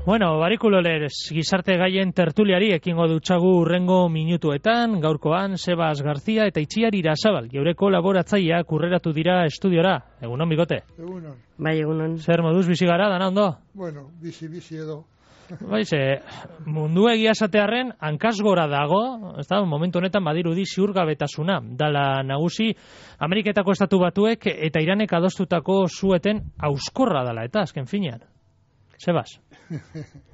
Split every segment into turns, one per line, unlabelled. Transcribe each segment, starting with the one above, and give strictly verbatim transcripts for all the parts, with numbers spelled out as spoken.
Bueno, barikuloler, gizarte gaien tertuliari ekingo dutxagu urrengo minutuetan, gaurkoan Sebas Garzia eta Itziar Irasabal, geure kolaboratzaileak urreratu dira estudiora. Egunon, Bigote?
Egunon.
Bai, egunon.
Zer moduz bizi gara, dana ondo?
Bueno, bizi-bizi edo.
Baize, mundu egia esatearren hankaz gora dago, ez da, momentu honetan badirudi ziurgabetasuna. Dala nagusi, Ameriketako estatu batuek eta Iranek adostutako zueten auskorra dala, eta azken finean. Sebas?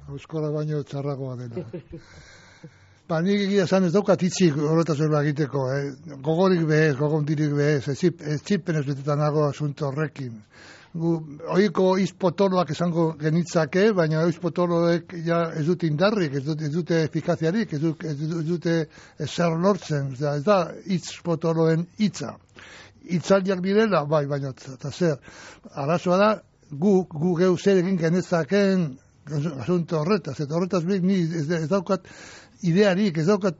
Auskorra baino txarragoa dela. Ba, nik egia esan ez daukat hitzik horretaz horrela egiteko, eh? Gogorik behez, gogondirik behez, ez txipen ez betetan nago asunto horrekin. Gu, oiko izpotoloak esango genitzake, baina izpotoloek ja ez dute indarrik, ez dute, ez dute efikaziarik, ez dute, ez dute zer lortzen, ez da izpotoloen hitza. Hitzaldiak direla, bai, baina eta zer. Arazoa da, gu, gu geu zer egin genezaken asunto horretaz, eta horretaz bik ni ez, ez daukat idearik, ez daukat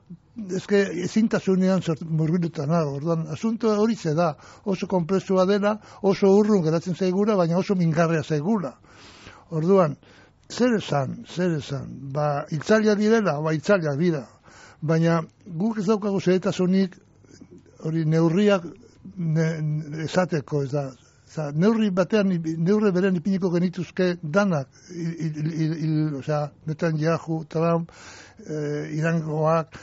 ezke ezintasunean murgilutan nago. Orduan, asunto hori ze da, oso konplexua dela, oso urrun geratzen zaigula, baina oso mingarria zaigula. Orduan, zer esan, zer esan, ba, itzaliak direla, ba, itzaliak dira, baina guk ez daukago zeretasunik hori neurriak ne, esateko, ez da, Oza, neurri batean, neurri beren ipiniko genituzke danak, il, il, il, il, oza, Netanyahu, Trump, eh, Irangoak,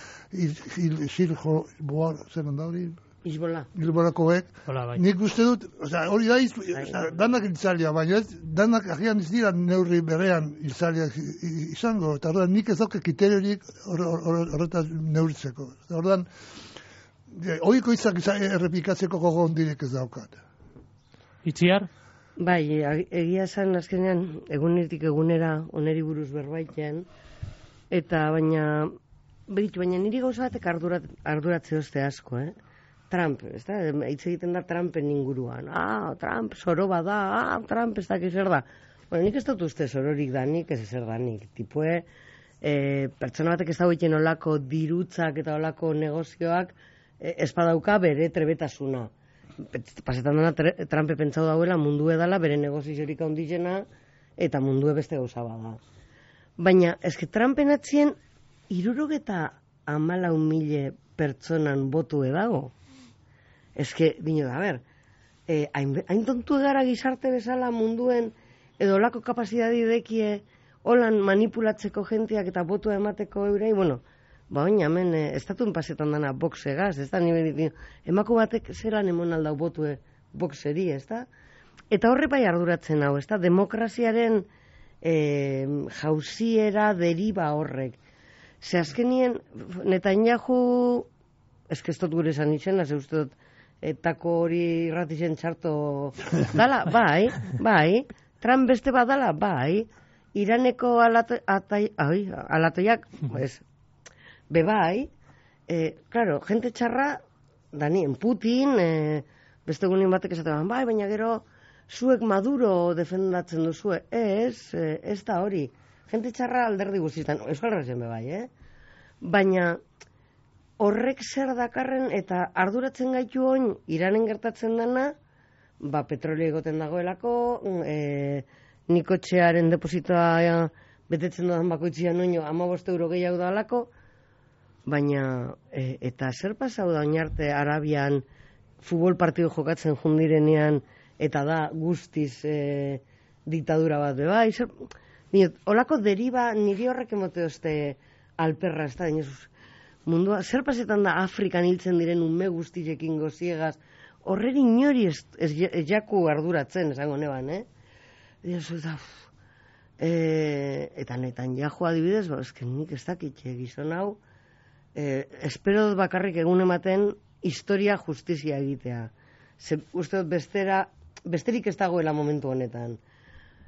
Siljo, Boar, zer handa hori?
Izbola.
Izbolakoek.
Bai.
Nik uste dut, oza, hori da, iz, oza, danak iltzalia, baina ez, danak agian ez dira neurri berean iltzalia izango, eta horretan nik ez dauke kriteriorik horretaz neurritzeko. Horretan, oiko izak errepikatzeko gogon direk ez daukat.
Itziar?
Bai, egia esan azkenean egunetik egunera oneri buruz berbaitean, eta baina, beritu, baina niri gauza batek ardurat, arduratze oste asko, eh? Trump, ez da, hitz egiten da Trumpen inguruan. Ah, Trump, soro bada, ah, Trump ez dakit zer da. Bueno, nik ez dut uste sororik danik, ez zer danik. Tipue, eh, pertsona batek ez da egiten olako dirutzak eta olako negozioak eh, espadauka bere trebetasuna. Pasetan dena Trumpe pentsau dauela mundu edala bere negoziorik handizena eta mundu beste gauza bada. Baina, eske Trumpen atzien hirurogeta hamalau mila pertsonan botu edago. Eske, dino da, ber, eh, hain, hain tontu egara gizarte bezala munduen edo olako kapazidadi dekie holan manipulatzeko jenteak eta botua emateko eurei, bueno, ba, oin, hemen, eh, estatuen pasetan dana boxegaz, ez da, nire, emako batek zelan emon aldau botue boxeri, ez da? Eta horre bai arduratzen hau, ez da, demokraziaren eh, jauziera deriba horrek. Ze azkenien, Netanyahu, ez que ez dut gure esan itxena, ze uste dut, etako hori irratixen txarto dala, bai, bai, Trump beste badala, bai, Iraneko alato, atai, ai, alatoiak, ez, bebai, eh, claro, gente txarra, danien Putin, eh, beste gunin batek esaten, bai, baina gero, zuek Maduro defendatzen duzue, ez, eh, ez da hori, gente txarra alderdi guztietan, Euskal Herrian bebai, eh? Baina, horrek zer dakarren eta arduratzen gaitu oin Iranen gertatzen dana, ba, petrolio egoten dagoelako, e, nikotxearen depositoa betetzen dudan bakoitzian oino hamabost euro gehiago da alako, baina, e, eta zer pasau da oinarte Arabian futbol partido jokatzen jundirenean, eta da guztiz e, diktadura bat beba, zer, olako deriba niri horrek emote oste alperra, ez da, dinezuz, mundua, zer pasetan da Afrikan hiltzen diren ume guztizekin goziegaz, horreri inori ez, ez, ez jaku arduratzen, esango neban, eh? Diozu, da, e, eta netan jajo adibidez, ba, ezken nik ez dakitxe gizon hau, e, espero dut bakarrik egun ematen historia justizia egitea. Ze, uste dut bestera, besterik ez dagoela momentu honetan.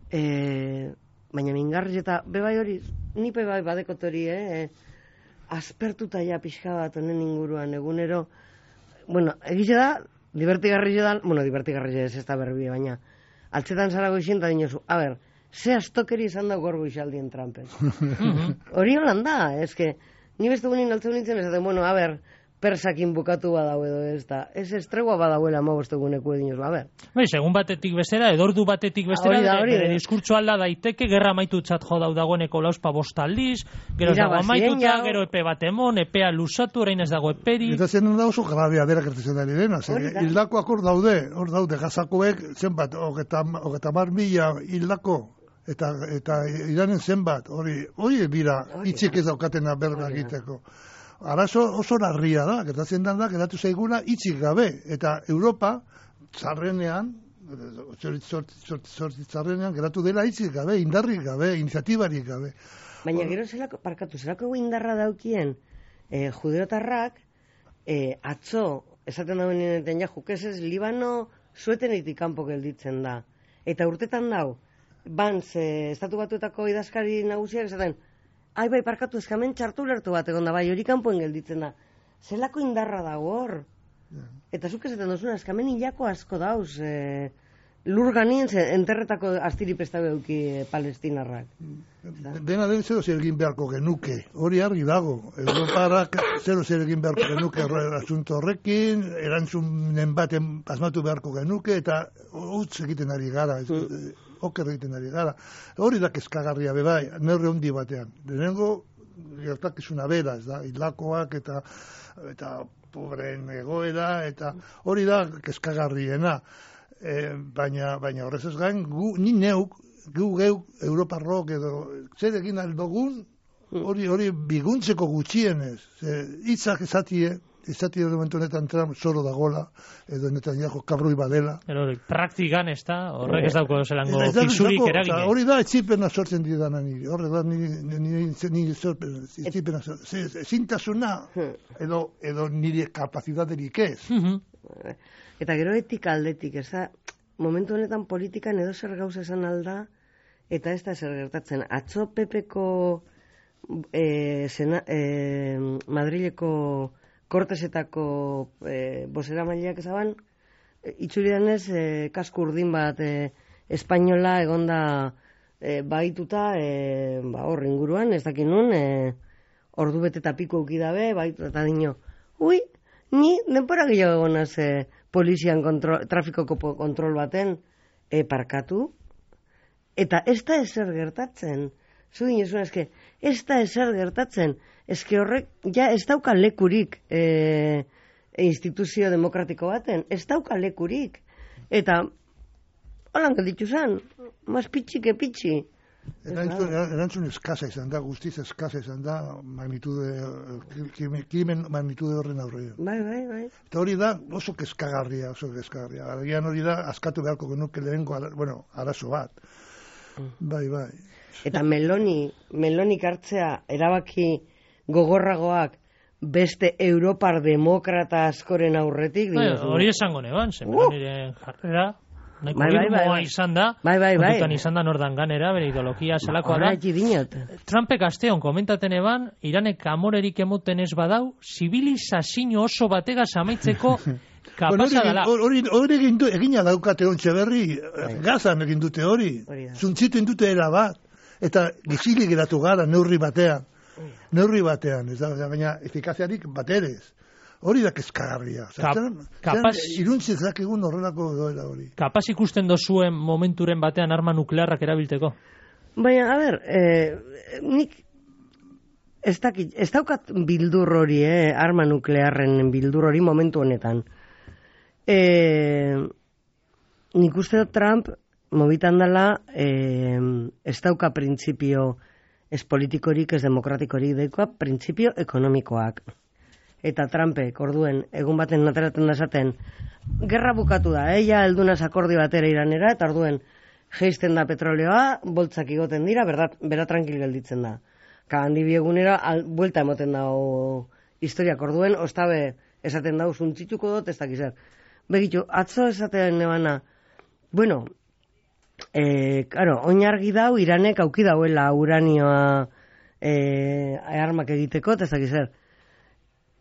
E, baina mingarri eta, bebai hori, ni bebai badekot hori, eh? Aspertuta ja pixka bat honen inguruan egunero, bueno, egize da, divertigarri da, bueno, divertigarri ez ez da berbie, baina altzetan zara goizien da dinosu, a ber, ze astokeri izan da gorgo izaldien Trumpen. Hori holan da, eske, ni beste gunin altzeu nintzen esaten, bueno, a ber, persakin bukatu badau edo ez da. Ez estregua badauela amabosteguneko edinoz, ba, ber.
Bai, segun batetik bestera, edo ordu batetik bestera,
Hori da, hori
bere
da.
diskurtso alda daiteke, gerra amaitutzat jo dau dagoeneko lauspa bost aldiz, gero ez dago
Irabazien
amaituta,
jau.
gero epe bat emon, epea lusatu, orain ez dago eperi.
Eta zen da oso grabea dela gertatzen ari dena. Ze,
Hori da.
hildakoak hor daude, hor daude, gazakoek zenbat, hogeta mar mila hildako, eta, eta Iranen zenbat, hori, hori bira, itxik ez daukatena berba egiteko. Arazo oso larria da, gertatzen da, geratu zaiguna itxik gabe, eta Europa, zarrenean, zarrenean, geratu dela itxik gabe, indarrik gabe, iniziatibarik gabe.
Baina gero zelako, parkatu, zelako indarra daukien eh, judeotarrak, eh, atzo, esaten dauen nineten ja, jukesez, Libano suetenetik kanpo gelditzen da. Eta urtetan dau, Banz, eh, estatu batuetako idazkari nagusiak esaten, ai bai, parkatu, eskamen txartu lertu bat egon da, bai, hori kanpoen gelditzen da. Zelako indarra dago hor. Eta zuk esaten duzuna, eskamen hilako asko dauz, eh, lur ganien enterretako astiripesta beuki eh, palestinarrak.
Dena den zero zer egin beharko genuke, hori argi dago. Europarak zero zer egin beharko genuke asunto horrekin, erantzunen baten asmatu beharko genuke, eta utz egiten ari gara, ez, oker egiten ari gara. Hori da kezkagarria bebai, neurri handi batean. Lehenengo gertakizuna bera, ez da, hilakoak eta eta pobreen egoera, eta hori da kezkagarriena. E, baina, baina horrez ez gain, gu, ni neuk, gu geuk, Europarrok edo, zer egin aldogun, hori hori biguntzeko gutxienez. Ze, hitzak esatie, esatie momentu honetan Trump zoro dagola, edo Netanyahu kabroi badela.
Pero praktikan ez da, horrek ez dauko zelango
Ez da,
fisurik
ez dago,
eragine.
oza, hori da etzipena sortzen didana niri, horre da niri, niri, niri sortzen, etzipena sortzen, ezintasuna, edo, edo nire kapazidaderik ez.
Mhm.
Eta gero etika aldetik, ez da, momentu honetan politikan edo zer gauza esan alda, eta ez da zer gertatzen. Atzo Pepeko eh, sena, eh, Madrileko Kortesetako eh, bosera mailak ezaban, e, itxuridanez eh, kasku urdin bat eh, espainola egonda eh, baituta eh, ba, hor inguruan, ez dakin nun, eh, ordu bete eta piko ukidabe, baituta eta dino, ui, ni denpora gehiago egonaz eh, polizian kontrol, trafikoko kontrol baten eh, parkatu, eta ez da ezer gertatzen. Zu dinezuna, eske, ez da ezer gertatzen. Eske horrek, ja, ez dauka lekurik e, instituzio demokratiko baten. Ez dauka lekurik. Eta, holan gelditu zen, mas pitxi ke pitxi.
Erantzun, erantzun eskasa izan da, guztiz eskasa izan da, magnitude, krimen magnitude horren aurrean.
Bai, bai, bai.
Eta hori da oso kezkagarria, oso kezkagarria. Agian hori da, askatu beharko genuke lehenko, bueno, arazo bat. Bai, bai.
Eta Meloni, Melonik hartzea erabaki gogorragoak beste Europar demokrata askoren aurretik.
Bai,
dinozu.
hori esango neban, ze Meloniren jarrera, nahiko
Bai, bai, bai,
irmoa
bai.
izan da,
Bai, bai, bai.
kontutan izan da nordan ganera, bere ideologia zelakoa da.
Horreki dinot.
Trumpek asteon komentaten eban, Iranek amorerik emoten ez badau, zibilizazio oso bategaz amaitzeko kapasa dela.
Hori hori egin du, egina daukate ontxe berri, Gazan egin dute hori,
Hori da.
zuntzitu dute era bat, eta gizilik geratu gara neurri batean, neurri batean, ez da, baina efikaziarik baterez. Hori da kezkagarria.
Kap- kapaz-
Iruntzi ezakigun horrelako doela hori.
Kapaz ikusten dozuen momenturen batean arma nuklearrak erabilteko.
Baina, a ber, eh, nik ez, dakit, ez daukat bildur hori, eh, arma nuklearren bildur hori momentu honetan. Eh, nik uste dut Trump mobitan dela eh, ez dauka printzipio ez politikorik, ez demokratikorik, daikoa printzipio ekonomikoak. Eta Trumpek, orduen, egun baten nateraten da esaten, gerra bukatu da, eh, ja heldunaz akordi batera Iranera, eta orduen, jeisten da petroleoa, boltzak igoten dira, bera, bera tranquil gelditzen da. Ka handi biegunera, al, buelta emoten dago historiak orduen, ostabe esaten dago, zuntzituko dut, ez dakizer. Begitu, atzo esaten nebana, bueno, eh, claro, oinargi dau, Iranek auki dauela uranioa eh, armak egiteko, ez dakizer.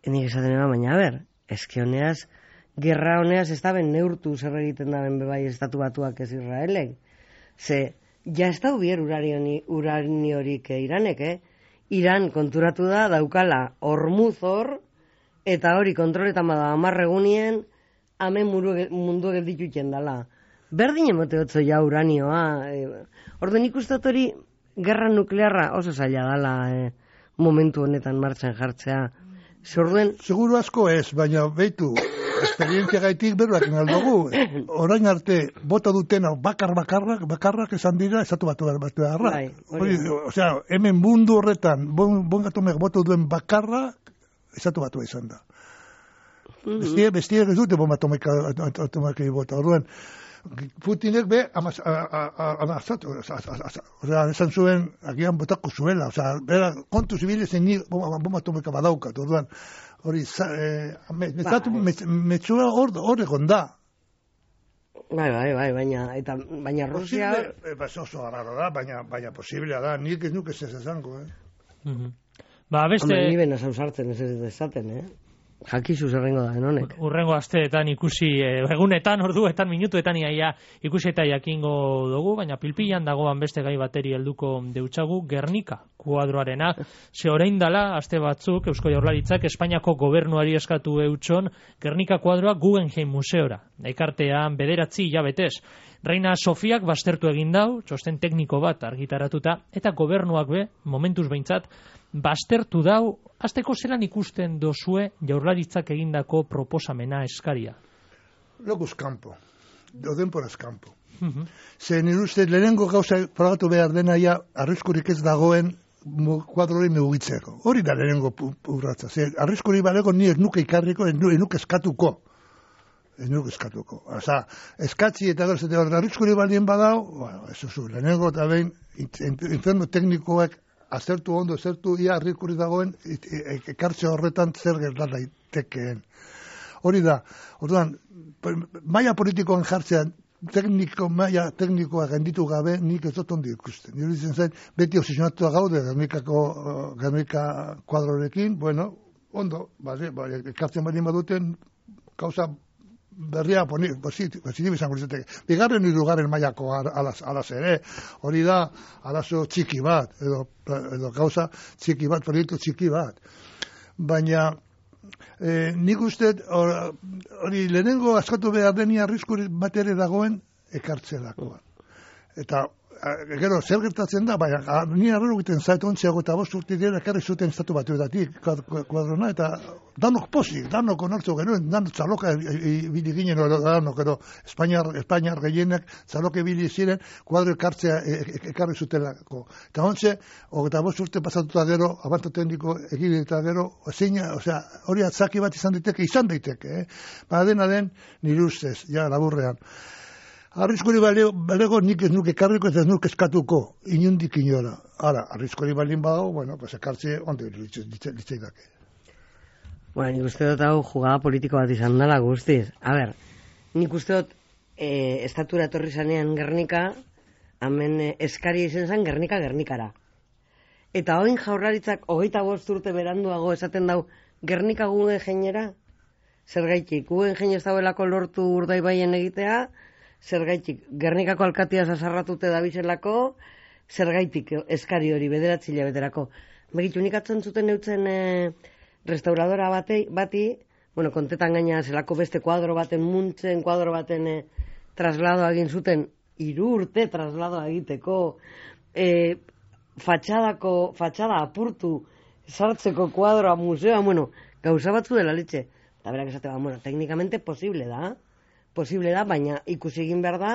Nik esaten eba, baina, a ber, eske honeaz, gerra honeaz ez da ben neurtu zer egiten da ben bebai estatu batuak ez Israelek. Ze, ja ez da hubier uraniorik eh, Iranek, eh? Iran konturatu da daukala hormuz hor, eta hori kontroletan bada amarre egunien, hemen mundu geldituten dala. Berdin emote otzo ja uranioa. E, Orde nik uste hori gerra nuklearra oso zaila dala e, momentu honetan martxan jartzea. Zorduen...
Seguro asko ez, baina behitu, esperientzia gaitik beruak inaldugu. Orain arte, bota dutena bakar bakarrak, bakarrak esan dira, esatu batu behar batu beharra. Bai, osea, hemen mundu horretan, bon, bon gatomek bota duen bakarra, esatu batu izan da. Bestie, bestie ez dute bomba atomika bota. Orduan, Putinek be, amazatu, osea, esan zuen, agian botako zuela, osea, bera, kontu zibile zen ni bomba atomika badaukat, orduan, hori, metzua hor egon da.
Bai, bai, bai, baina, eta, baina Rusia...
Oso arraro da, baina, baina posiblea da, nik ez nuke ez esango, eh?
Ba, beste...
Hame, ni bena zauzartzen ez ez dezaten, eh? Jakizu zerrengo da, enonek.
Urrengo asteetan ikusi, eh, egunetan, orduetan, minutuetan iaia ikusi eta jakingo dugu, baina pilpilan dagoan beste gai bateri helduko deutsagu, Gernika kuadroarena. Ze orain dala, aste batzuk, Eusko Jaurlaritzak Espainiako gobernuari eskatu eutxon, Gernika kuadroa Guggenheim museora. Ekartean bederatzi hilabetez. Reina Sofiak bastertu egin dau, txosten tekniko bat argitaratuta, eta gobernuak be, momentuz behintzat, bastertu dau, azteko zelan ikusten dozue Jaurlaritzak egindako proposamena eskaria?
Loguz kampo, dodenporaz kampo. Ze nire uste, lehenengo gauza frogatu behar dena ja, arriskurik ez dagoen kuadrori mugitzeko. Hori da lehenengo urratza. Ze arriskurik balego ni ez nuke ikarriko, ez nuke eskatuko. Ez nuke eskatuko. Osa, eskatzi eta gero zete hori arriskurik balien badau, bueno, ez zu, lehenengo eta behin, inferno teknikoak azertu ondo, azertu ia arriskurik dagoen, ekartze horretan zer gerta daitekeen. Hori da, orduan, maila politikoan jartzean, tekniko, maila teknikoa genditu gabe, nik ez dut ondi ikusten. Nire ditzen zain, beti obsesionatua gaude Gernikako, Gernika kuadrorekin, bueno, ondo, bale, bale, ekartzen badien baduten, gauza berria positibo izango litzateke. Bigarren hirugarren mailako alaz ere, hori da arazo txiki bat, edo, edo gauza txiki bat, proiektu txiki bat. Baina, eh, nik uste, hori lehenengo askatu behar deni arriskurik bat ere dagoen ekartzelakoa. Eta, gero, zer gertatzen da, baina, ni arrero egiten zait ontziago eta bost urte dira ekarri zuten estatu batuetatik kuadrona, eta danok pozik, danok onartzu genuen, danok txaloka ibili ginen, danok, edo Espainiar, Espainiar gehienak txaloka ibili ziren, kuadro ekartzea ekarri zutelako. Eta ontze, eta bost urte pasatuta gero, abanto tekniko egin eta gero, zeina, osea, hori atzaki bat izan daiteke, izan daiteke, eh? Ba, dena den, nire ustez, ja, laburrean. Arriskori balego nik ez nuke karriko ez nuke eskatuko, inundik inora. Ara, arriskori balin badago, bueno, pues ekartze ondo ditzei dake.
Bueno, nik uste dut hau jugada politiko bat izan dela guztiz. A ber, nik uste dut e, estatura etorri zanean Gernika, hemen e, eskari izen zen Gernika Gernikara. Eta oin Jaurlaritzak hogeita bost urte beranduago esaten dau Gernika Guggenheimera, zergaitik, Guggenheim ez dauelako lortu Urdaibaien egitea, zergaitik, Gernikako alkatia sasarratute dabizelako, zergaitik eskari hori bederatzi hilabeterako. Begitu nik atzen zuten eutzen e, restauradora batei, bati, bueno, kontetan gaina zelako beste kuadro baten muntzen, kuadro baten e, trasladoa egin zuten, hiru urte trasladoa egiteko, e, fatxadako, fatxada apurtu, sartzeko kuadroa museoa, bueno, gauza batzu dela letxe. Eta berak esate, bueno, teknikamente posible da, posible da, baina ikusi egin behar da,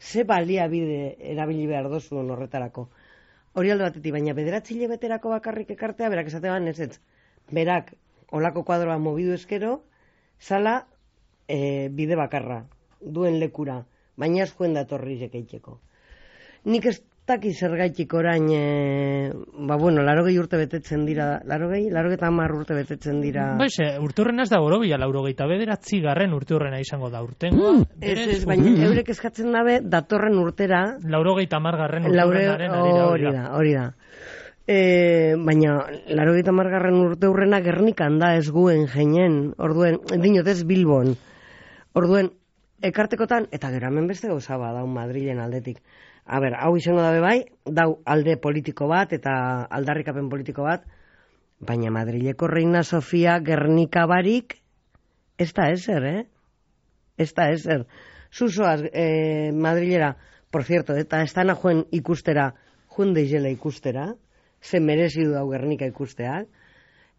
ze baliabide erabili behar dozuen horretarako. Hori alde batetik, baina bederatzi hilabeterako bakarrik ekartea, berak esateban ez ez, berak olako kuadroa mobidu eskero, zala e, bide bakarra, duen lekura, baina ez juen datorri zekeitzeko. Nik ez daki zergaitik orain, e, ba bueno, larogei urte betetzen dira, larogei, larogei eta hamar urte betetzen dira.
Baiz, urte horren ez da borobila, laurogei eta bederatzi garren urte horrena izango da urtengoa.
Mm, ez, ez, baina eurek eskatzen dabe, datorren urtera.
Laurogei eta hamar garren urte horrenaren arira,
hori da, hori da. E, baina, larogei eta hamar garren urte horrena Gernikan da ez Guggenheimen, orduen, dinot ez Bilbon. Orduen, ekartekotan, eta gero hemen beste gauza bada, Madrilen aldetik. A ber, hau izango dabe bai, dau alde politiko bat eta aldarrikapen politiko bat, Baina Madrileko Reina Sofia Gernika barik, ez da ezer, eh? Ez da ezer. Zuzoaz eh, Madrilera, por cierto, eta ez dana joen ikustera, joen deizela ikustera, ze merezidu dau Gernika ikusteak,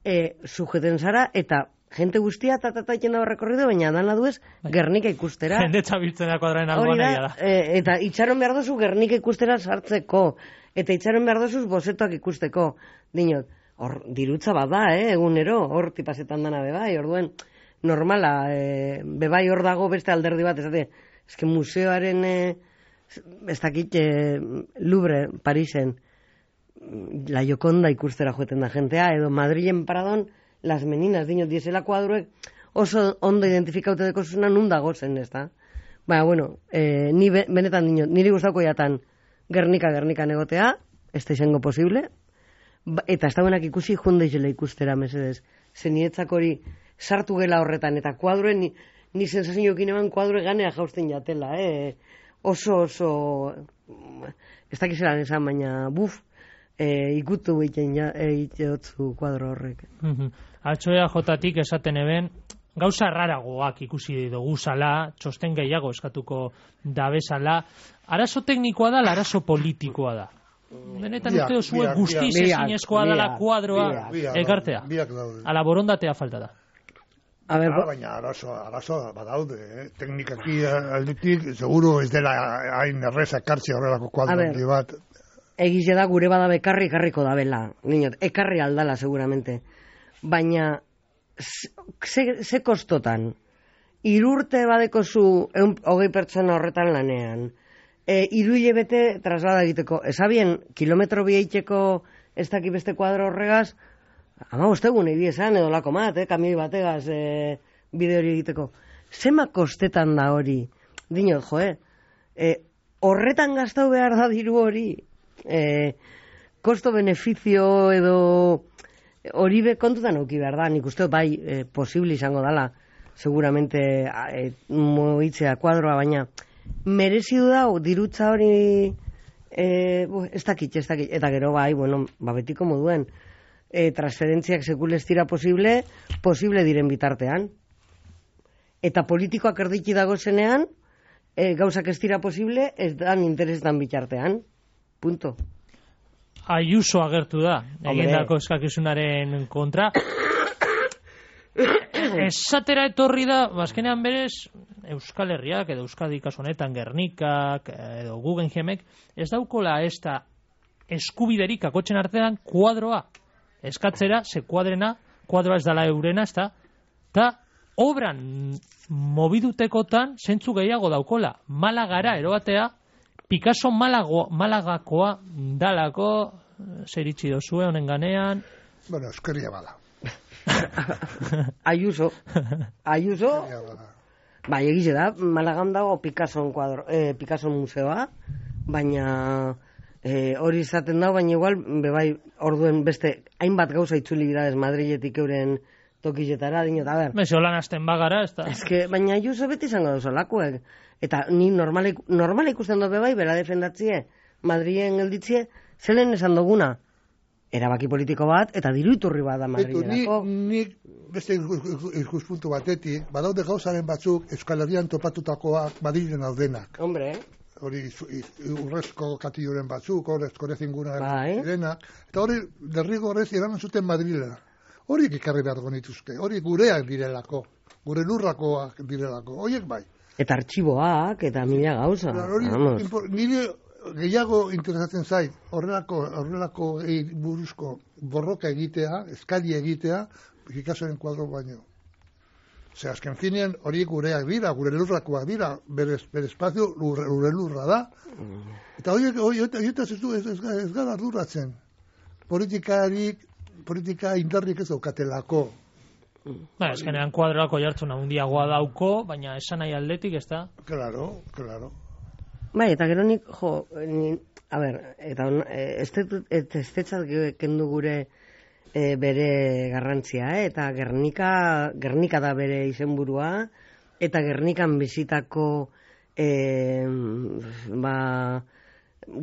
e, sujeten zara, eta jente guztia tatataiten dago rekorrido, baina dana duez Gernika ikustera.
Jende txabiltzena kuadraen alboan egia da.
E, eta itxaron behar dozu Gernika ikustera sartzeko, eta itxaron behar dozuz bozetoak ikusteko. Dinot, hor dirutza bada, eh, egunero, hor tipazetan dana bebai, orduen normala, e, bebai hor dago beste alderdi bat, esate, eske museoaren, e, ez dakit, e, Louvre, Parisen, La Gioconda ikustera joeten da jentea, edo Madrilen Paradon, Las Meninas, dinot, diesela kuadruek oso ondo identifikaute deko zuzuna nun dago zen, ez da? Baina, bueno, e, ni be, benetan dinot, niri gustauko jatan Gernika, Gernika negotea, ez da izango posible, ba, eta ez dauenak ikusi jundeizela ikustera, mesedez. Zenietzak hori sartu gela horretan, eta kuadruen, ni, ni sensazioekin eman kuadrue ganea jausten jatela, eh? Oso, oso, ez dakizelan esan, baina, buf, e, ikutu egiten ja, egiteotzu kuadro horrek.
Mm-hmm. Altxoea jotatik esaten eben, gauza raragoak ikusi dugu zala, txosten gehiago eskatuko dabezala, arazo teknikoa da, arazo politikoa da. Benetan uste duzue guztiz ezinezkoa dela kuadroa ekartea. Ala borondatea falta da.
A ver, ah, baina arazo, arazo badaude, eh? Teknikaki aldetik, seguro ez dela hain erreza ekartzi horrelako kuadro bat.
Egize da gure bada bekarri ekarriko da bela, niñot, ekarri aldala seguramente. Baina, ze, ze kostotan, irurte badeko zu hogei pertsona horretan lanean, e, iru hilebete traslada egiteko, esabien, kilometro bieiteko ez daki beste kuadro horregaz, ama bostegun egi esan edo lako mat, eh, kamioi bategaz eh, bide hori egiteko. Zema kostetan da hori? Dinot, jo, eh? E, horretan gastau behar da diru hori? E, kosto-benefizio edo hori be kontutan auki behar da, nik uste bai e, posible izango dala, seguramente e, moitzea kuadroa, baina merezidu da dirutza hori e, ez dakit, ez dakit, eta gero bai, bueno, babetiko moduen, e, transferentziak sekule ez dira posible, posible diren bitartean. Eta politikoak erdiki dago zenean, e, gauzak ez dira posible, ez dan interesetan bitartean. Punto.
Ayuso agertu da, egindako eskakizunaren kontra. Esatera etorri da, bazkenean berez, Euskal Herriak edo Euskadi kasu honetan Gernikak edo Guggenheimek ez daukola ez da eskubiderik akotxen artean kuadroa eskatzera, ze kuadrena, kuadroa ez dala eurena, ez da, eta obran mobidutekotan zentzu gehiago daukola. Malagara erobatea, Picasso Malago, Malagakoa dalako, zer itxi dozue honen ganean.
Bueno, euskeria bada.
Ayuso. Ayuso. Bai, egize da, Malagan dago Picasso kuadro, eh, Picasso museoa, baina eh, hori izaten dago, baina igual, bebai, orduen beste, hainbat gauza itzuli bidadez Madriletik euren tokizetara, dinot, a ber.
Beze, holan azten bagara, ez da.
Ez que, baina Ayuso beti izango dozo lakuek. Eta ni normala, normala ikusten dut bebai, bera defendatzie, Madrilen gelditzie, zelen esan duguna, erabaki politiko bat, eta diru iturri bat da Madrilerako.
Ni, ni beste ikuspuntu batetik, badaude gauzaren batzuk Euskal Herrian topatutakoak Madrilen daudenak.
Hombre,
hori urrezko katilloren batzuk, horrezko rezinguna
bai.
Direnak, eta hori derrigorrez eraman zuten Madrilera. Horiek ekarri behar nituzke, hori gureak direlako, gure lurrakoak direlako, horiek bai.
Eta artxiboak, eta mila gauza.
Nire gehiago interesatzen zait, horrelako, horrelako buruzko borroka egitea, eskali egitea, Picassoren kuadro baino. Ze azken finean horiek gureak dira, gure lurrakoak dira, bere, bere espazio lurre, lurre lurra da. Eta horiek, horiek, horiek ez, ez, ez, ez gara arduratzen. Politikarik, politika indarrik ez daukatelako.
Ba, ezkenean kuadroako jartzuna hundiagoa dauko, baina esan nahi aldetik, ez da?
Claro, claro.
Bai, eta gero nik, jo, ni, a ber, eta estetzat kendu gure e, bere garrantzia, eh? Eta Gernika, Gernika da bere izenburua, eta Gernikan bizitako e, ba,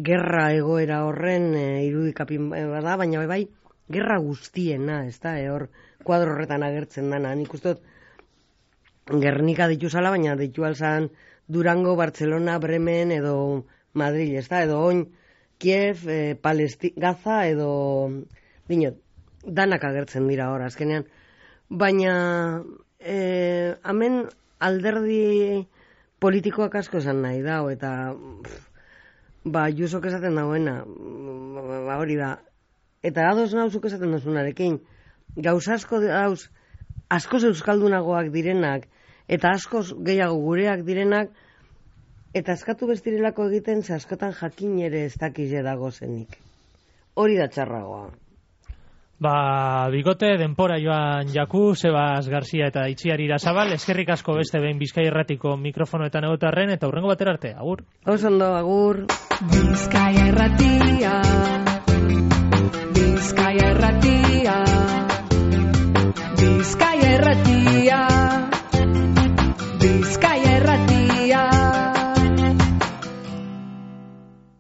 gerra egoera horren e, irudikapin bada, baina bai, gerra guztiena, ez da, e, hor kuadro horretan agertzen dana. Nik uste dut Gernika ditu zala, baina ditu alzan Durango, Barcelona, Bremen edo Madrid, ez da, edo oin Kiev, e, Palesti, Gaza edo dinot, danak agertzen dira hor, azkenean. Baina e, hemen alderdi politikoak asko esan nahi da, eta pff, ba, Jusok esaten dauena, ba, hori da. Eta ados nauzuk esaten duzunarekin, gauz asko dauz, askoz euskaldunagoak direnak, eta askoz gehiago gureak direnak, eta eskatu bestirelako egiten, ze askotan jakin ere ez dakize dago zenik. Hori da txarragoa.
Ba, bikote, denpora joan jaku, Sebas Garzia eta Itziar Irazabal, eskerrik asko beste behin Bizkai Erratiko mikrofonoetan egotarren, eta hurrengo batera arte, agur.
Osondo, agur.
Bizkai Erratia, Bizkai Erratia, Bizkai Erratia, Bizkai